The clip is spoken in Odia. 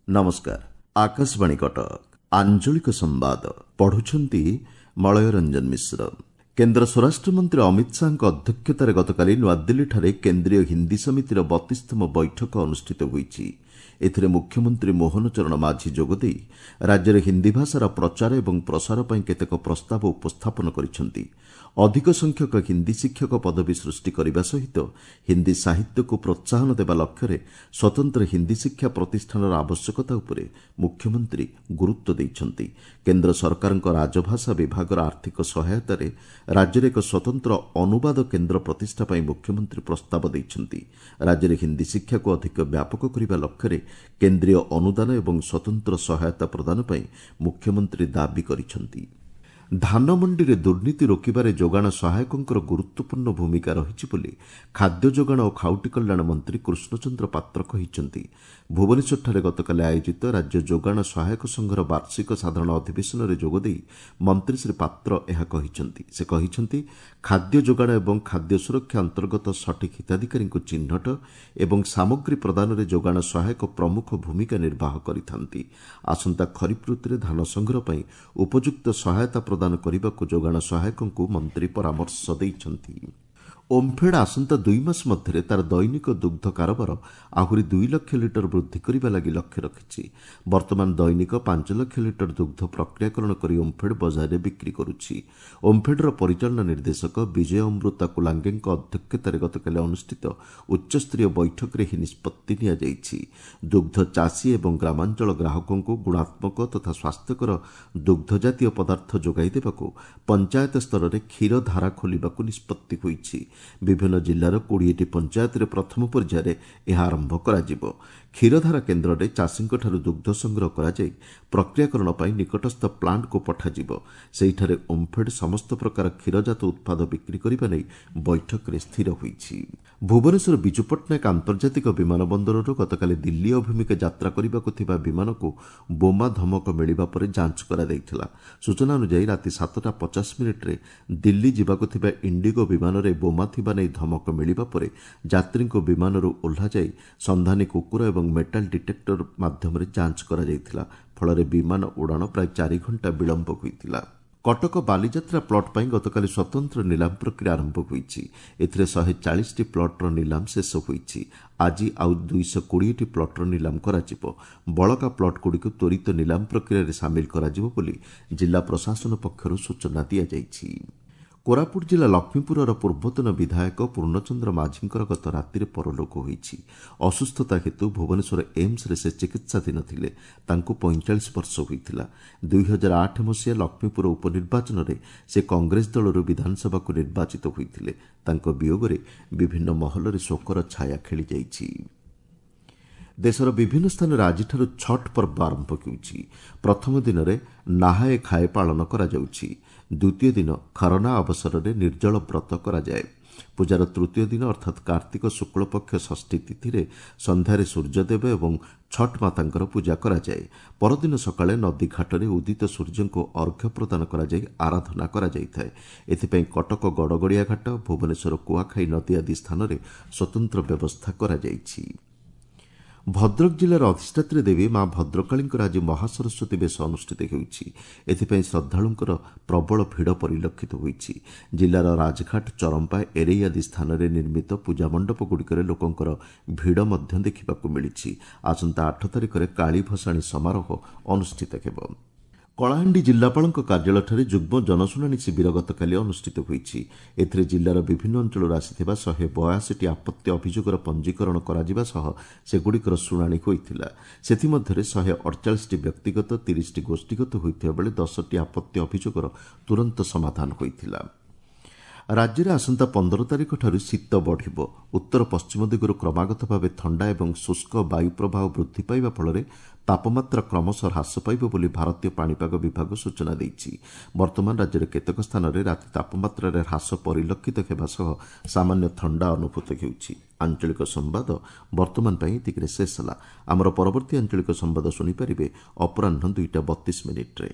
ନମସ୍କାର, ଆକାଶବାଣୀ କଟକ। ଆଞ୍ଚଳିକ ସମ୍ବାଦ ପଢୁଛନ୍ତି ମଳୟ ରଞ୍ଜନ ମିଶ୍ର। କେନ୍ଦ୍ର ସ୍ୱରାଷ୍ଟ୍ରମନ୍ତ୍ରୀ ଅମିତ ଶାହାଙ୍କ ଅଧ୍ୟକ୍ଷତାରେ ଗତକାଲି ନୂଆଦିଲ୍ଲୀଠାରେ କେନ୍ଦ୍ରୀୟ ହିନ୍ଦୀ ସମିତିର 32ତମ ବୈଠକ ଅନୁଷ୍ଠିତ ହୋଇଛି। ଏଥିରେ ମୁଖ୍ୟମନ୍ତ୍ରୀ ମୋହନ ଚରଣ ମାଝୀ ଯୋଗଦେଇ ରାଜ୍ୟରେ ହିନ୍ଦୀ ଭାଷାର ପ୍ରଚାର ଏବଂ ପ୍ରସାର ପାଇଁ କେତେକ ପ୍ରସ୍ତାବ ଉପସ୍ଥାପନ କରିଛନ୍ତି। ଅଧିକ ସଂଖ୍ୟକ ହିନ୍ଦୀ ଶିକ୍ଷକ ପଦବୀ ସୃଷ୍ଟି କରିବା ସହିତ ହିନ୍ଦୀ ସାହିତ୍ୟକୁ ପ୍ରୋତ୍ସାହନ ଦେବା ଲକ୍ଷ୍ୟରେ ସ୍ୱତନ୍ତ୍ର ହିନ୍ଦୀ ଶିକ୍ଷା ପ୍ରତିଷ୍ଠାନର ଆବଶ୍ୟକତା ଉପରେ ମୁଖ୍ୟମନ୍ତ୍ରୀ ଗୁରୁତ୍ୱ ଦେଇଛନ୍ତି। କେନ୍ଦ୍ର ସରକାରଙ୍କ ରାଜଭାଷା ବିଭାଗର ଆର୍ଥିକ ସହାୟତାରେ ରାଜ୍ୟରେ ଏକ ସ୍ୱତନ୍ତ୍ର ଅନୁବାଦ କେନ୍ଦ୍ର ପ୍ରତିଷ୍ଠା ପାଇଁ ମୁଖ୍ୟମନ୍ତ୍ରୀ ପ୍ରସ୍ତାବ ଦେଇଛନ୍ତି। ରାଜ୍ୟରେ ହିନ୍ଦୀ ଶିକ୍ଷାକୁ ଅଧିକ ବ୍ୟାପକ କରିବା ଲକ୍ଷ୍ୟରେ କେନ୍ଦ୍ରୀୟ ଅନୁଦାନ ଏବଂ ସ୍ୱତନ୍ତ୍ର ସହାୟତା ପ୍ରଦାନ ପାଇଁ ମୁଖ୍ୟମନ୍ତ୍ରୀ ଦାବି କରିଛନ୍ତି। ଧାନ ମଣ୍ଡିରେ ଦୁର୍ନୀତି ରୋକିବାରେ ଯୋଗାଣ ସହାୟକଙ୍କର ଗୁରୁତ୍ୱପୂର୍ଣ୍ଣ ଭୂମିକା ରହିଛି ବୋଲି ଖାଦ୍ୟ ଯୋଗାଣ ଓ ଖାଉଟି କଲ୍ୟାଣ ମନ୍ତ୍ରୀ କୃଷ୍ଣଚନ୍ଦ୍ର ପାତ୍ର କହିଛନ୍ତି। ଭୁବନେଶ୍ୱରଠାରେ ଗତକାଲି ଆୟୋଜିତ ରାଜ୍ୟ ଯୋଗାଣ ସହାୟକ ସଂଘର ବାର୍ଷିକ ସାଧାରଣ ଅଧିବେଶନରେ ଯୋଗଦେଇ ମନ୍ତ୍ରୀ ଶ୍ରୀ ପାତ୍ର ଏହା କହିଛନ୍ତି। ସେ କହିଛନ୍ତି, ଖାଦ୍ୟ ଯୋଗାଣ ଏବଂ ଖାଦ୍ୟ ସୁରକ୍ଷା ଅନ୍ତର୍ଗତ ସଠିକ୍ ହିତାଧିକାରୀଙ୍କୁ ଚିହ୍ନଟ ଏବଂ ସାମଗ୍ରୀ ପ୍ରଦାନରେ ଯୋଗାଣ ସହାୟକ ପ୍ରମୁଖ ଭୂମିକା ନିର୍ବାହ କରିଥାନ୍ତି। ଆସନ୍ତା ଖରିଫ ଋତୁରେ ଧାନ ସଂଗ୍ରହ ପାଇଁ ଉପଯୁକ୍ତ ସହାୟତା ପ୍ରଦାନ କରିବାକୁ ଯୋଗାଣ ସହାୟକଙ୍କୁ ମନ୍ତ୍ରୀ ପରାମର୍ଶ ଦେଇଛନ୍ତି। ଓମ୍ଫେଡ୍ ଆସନ୍ତା 2 ମାସ ମଧ୍ୟରେ ତାର ଦୈନିକ ଦୁଗ୍ଧ କାରବାର ଆହୁରି 2 ଲକ୍ଷ ଲିଟର ବୃଦ୍ଧି କରିବା ଲାଗି ଲକ୍ଷ୍ୟ ରଖିଛି। ବର୍ତ୍ତମାନ ଦୈନିକ 5 ଲକ୍ଷ ଲିଟର ଦୁଗ୍ଧ ପ୍ରକ୍ରିୟାକରଣ କରି ଓମ୍ଫେଡ୍ ବଜାରରେ ବିକ୍ରି କରୁଛି। ଓମ୍ଫେଡ୍ର ପରିଚାଳନା ନିର୍ଦ୍ଦେଶକ ବିଜୟ ଅମୃତା କୁଲାଙ୍ଗେଙ୍କ ଅଧ୍ୟକ୍ଷତାରେ ଗତକାଲି ଅନୁଷ୍ଠିତ ଉଚ୍ଚସ୍ତରୀୟ ବୈଠକରେ ଏହି ନିଷ୍ପତ୍ତି ନିଆଯାଇଛି। ଦୁଗ୍ଧ ଚାଷୀ ଏବଂ ଗ୍ରାମାଞ୍ଚଳ ଗ୍ରାହକଙ୍କୁ ଗୁଣାତ୍ମକ ତଥା ସ୍ୱାସ୍ଥ୍ୟକର ଦୁଗ୍ଧ ଜାତୀୟ ପଦାର୍ଥ ଯୋଗାଇ ଦେବାକୁ ପଞ୍ଚାୟତ ସ୍ତରରେ କ୍ଷୀର ଧାରା ଖୋଲିବାକୁ ନିଷ୍ପତ୍ତି ହୋଇଛି। ବିଭିନ୍ନ ଜିଲ୍ଲାର 20ଟି ପଞ୍ଚାୟତରେ ପ୍ରଥମ ପର୍ଯ୍ୟାୟରେ ଏହା ଆରମ୍ଭ କରାଯିବ। କ୍ଷୀରଧାରା କେନ୍ଦ୍ରରେ ଚାଷୀଙ୍କଠାରୁ ଦୁଗ୍ଧ ସଂଗ୍ରହ କରାଯାଇ ପ୍ରକ୍ରିୟାକରଣ ପାଇଁ ନିକଟସ୍ଥ ପ୍ଲାଣ୍ଟକୁ ପଠାଯିବ। ସେହିଠାରେ ଓମ୍ଫେଡ୍ ସମସ୍ତ ପ୍ରକାର କ୍ଷୀରଜାତ ଉତ୍ପାଦ ବିକ୍ରି କରିବା ନେଇ ବୈଠକରେ ସ୍ଥିର ହୋଇଛି। ଭୁବନେଶ୍ୱର ବିଜୁ ପଟ୍ଟନାୟକ ଆନ୍ତର୍ଜାତିକ ବିମାନ ବନ୍ଦରରୁ ଗତକାଲି ଦିଲ୍ଲୀ ଅଭିମୁଖେ ଯାତ୍ରା କରିବାକୁ ଥିବା ବିମାନକୁ ବୋମା ଧମକ ମିଳିବା ପରେ ଯାଞ୍ଚ କରାଯାଇଥିଲା। ସୂଚନା ଅନୁଯାୟୀ, ରାତି 7ଟା 50 ମିନିଟ୍ରେ ଦିଲ୍ଲୀ ଯିବାକୁ ଥିବା ଇଣ୍ଡିଗୋ ବିମାନରେ ବୋମା ଥିବା ନେଇ ଧମକ ମିଳିବା ପରେ ଯାତ୍ରୀଙ୍କୁ ବିମାନରୁ ଓହ୍ଲାଯାଇ ସନ୍ଧାନୀ କୁକୁର ଏବଂ ମେଟାଲ ଡିଟେକ୍ଟର ମାଧ୍ୟମରେ ଯାଞ୍ଚ କରାଯାଇଥିଲା। ଫଳରେ ବିମାନ ଉଡ଼ାଣ ପ୍ରାୟ 4 ଘଣ୍ଟା ବିଳମ୍ବ ହୋଇଥିଲା। କଟକ ବାଲିଯାତ୍ରା ପ୍ଲଟ୍ ପାଇଁ ଗତକାଲି ସ୍ୱତନ୍ତ୍ର ନିଲାମ ପ୍ରକ୍ରିୟା ଆରମ୍ଭ ହୋଇଛି। ଏଥିରେ 140ଟି ପ୍ଲଟ୍ର ନିଲାମ ଶେଷ ହୋଇଛି। ଆଜି ଆଉ 220ଟି ପ୍ଲଟ୍ର ନିଲାମ କରାଯିବ। ବଳକା ପ୍ଲଟ୍ଗୁଡ଼ିକୁ ତ୍ୱରିତ ନିଲାମ ପ୍ରକ୍ରିୟାରେ ସାମିଲ କରାଯିବ ବୋଲି ଜିଲ୍ଲା ପ୍ରଶାସନ ପକ୍ଷରୁ ସୂଚନା ଦିଆଯାଇଛି। କୋରାପୁଟ ଜିଲ୍ଲା ଲକ୍ଷ୍ମୀପୁରର ପୂର୍ବତନ ବିଧାୟକ ପୂର୍ଣ୍ଣଚନ୍ଦ୍ର ମାଝୀଙ୍କର ଗତ ରାତିରେ ପରଲୋକ ହୋଇଛି। ଅସୁସ୍ଥତା ହେତୁ ଭୁବନେଶ୍ୱର ଏମ୍ସରେ ସେ ଚିକିତ୍ସାଧୀନ ଥିଲେ। ତାଙ୍କୁ 45 ବର୍ଷ ହୋଇଥିଲା। 2008 ମସିହା ଲକ୍ଷ୍ମୀପୁର ଉପନିର୍ବାଚନରେ ସେ କଂଗ୍ରେସ ଦଳରୁ ବିଧାନସଭାକୁ ନିର୍ବାଚିତ ହୋଇଥିଲେ। ତାଙ୍କ ବିୟୋଗରେ ବିଭିନ୍ନ ମହଲରେ ଶୋକର ଛାୟା ଖେଳିଯାଇଛି। ଦେଶର ବିଭିନ୍ନ ସ୍ଥାନରେ ଆଜିଠାରୁ ଛଟ୍ ପର୍ବ ଆରମ୍ଭ ହେଉଛି। ପ୍ରଥମ ଦିନରେ ନାହାଏ ଖାଏ ପାଳନ କରାଯାଉଛି। ଦ୍ୱିତୀୟ ଦିନ ଖରନା ଅବସରରେ ନିର୍ଜଳ ବ୍ରତ କରାଯାଏ। ପୂଜାର ତୃତୀୟ ଦିନ ଅର୍ଥାତ୍ କାର୍ତ୍ତିକ ଶୁକ୍ଳପକ୍ଷ ଷଷ୍ଠୀ ତିଥିରେ ସନ୍ଧ୍ୟାରେ ସୂର୍ଯ୍ୟଦେବ ଏବଂ ଛଟ୍ ମାତାଙ୍କର ପୂଜା କରାଯାଏ। ପରଦିନ ସକାଳେ ନଦୀଘାଟରେ ଉଦିତ ସୂର୍ଯ୍ୟଙ୍କୁ ଅର୍ଘ୍ୟ ପ୍ରଦାନ କରାଯାଇ ଆରାଧନା କରାଯାଇଥାଏ। ଏଥିପାଇଁ କଟକ ଗଡ଼ଗଡ଼ିଆ ଘାଟ, ଭୁବନେଶ୍ୱର କୁଆଖାଇ ନଦୀ ଆଦି ସ୍ଥାନରେ ସ୍ୱତନ୍ତ୍ର ବ୍ୟବସ୍ଥା କରାଯାଇଛି। ଭଦ୍ରକ ଜିଲ୍ଲାର ଅଧିଷ୍ଠାତ୍ରୀ ଦେବୀ ମା ଭଦ୍ରକାଳୀଙ୍କର ଆଜି ମହାସରସ୍ୱତୀ ବେଶ ଅନୁଷ୍ଠିତ ହେଉଛି। ଏଥିପାଇଁ ଶ୍ରଦ୍ଧାଳୁଙ୍କର ପ୍ରବଳ ଭିଡ଼ ପରିଲକ୍ଷିତ ହୋଇଛି। ଜିଲ୍ଲାର ରାଜଘାଟ, ଚରମ୍ପା, ଏରେଇ ଆଦି ସ୍ଥାନରେ ନିର୍ମିତ ପୂଜା ମଣ୍ଡପଗୁଡ଼ିକରେ ଲୋକଙ୍କର ଭିଡ଼ ମଧ୍ୟ ଦେଖିବାକୁ ମିଳିଛି। ଆସନ୍ତା 8 ତାରିଖରେ କାଳୀ ଭସାଣୀ ସମାରୋହ ଅନୁଷ୍ଠିତ ହେବ। କଳାହାଣ୍ଡି ଜିଲ୍ଲାପାଳଙ୍କ କାର୍ଯ୍ୟାଳୟଠାରେ ଯୁଗ୍ମ ଜନଶୁଣାଣି ଶିବିର ଗତକାଲି ଅନୁଷ୍ଠିତ ହୋଇଛି। ଏଥିରେ ଜିଲ୍ଲାର ବିଭିନ୍ନ ଅଞ୍ଚଳରୁ ଆସିଥିବା 182ଟି ଆପତ୍ତି ଅଭିଯୋଗର ପଞ୍ଜୀକରଣ କରାଯିବା ସହ ସେଗୁଡ଼ିକର ଶୁଣାଣି ହୋଇଥିଲା। ସେଥିମଧ୍ୟରେ 148ଟି ବ୍ୟକ୍ତିଗତ, 30ଟି ଗୋଷ୍ଠୀଗତ ହୋଇଥିବା ବେଳେ 10ଟି ଆପତ୍ତି ଅଭିଯୋଗର ତୁରନ୍ତ ସମାଧାନ ହୋଇଥିଲା। ରାଜ୍ୟରେ ଆସନ୍ତା 15 ତାରିଖଠାରୁ ଶୀତ ବଢ଼ିବ। ଉତ୍ତର ପଶ୍ଚିମ ଦିଗରୁ କ୍ରମାଗତ ଭାବେ ଥଣ୍ଡା ଏବଂ ଶୁଷ୍କ ବାୟୁ ପ୍ରବାହ ବୃଦ୍ଧି ପାଇବା ଫଳରେ ତାପମାତ୍ରା କ୍ରମଶଃ ହ୍ରାସ ପାଇବ ବୋଲି ଭାରତୀୟ ପାଣିପାଗ ବିଭାଗ ସୂଚନା ଦେଇଛି। ବର୍ତ୍ତମାନ ରାଜ୍ୟର କେତେକ ସ୍ଥାନରେ ରାତି ତାପମାତ୍ରାରେ ହ୍ରାସ ପରିଲକ୍ଷିତ ହେବା ସହ ସାମାନ୍ୟ ଥଣ୍ଡା ଅନୁଭୂତ ହେଉଛି। ଆଞ୍ଚଳିକ ସମ୍ବାଦ ବର୍ତ୍ତମାନ ପାଇଁ ଏତିକିରେ ଶେଷ ହେଲା। ଆମର ପରବର୍ତ୍ତୀ ଆଞ୍ଚଳିକ ସମ୍ବାଦ ଶୁଣିପାରିବେ ଅପରାହ୍ନ 2ଟା 32 ମିନିଟ୍ରେ।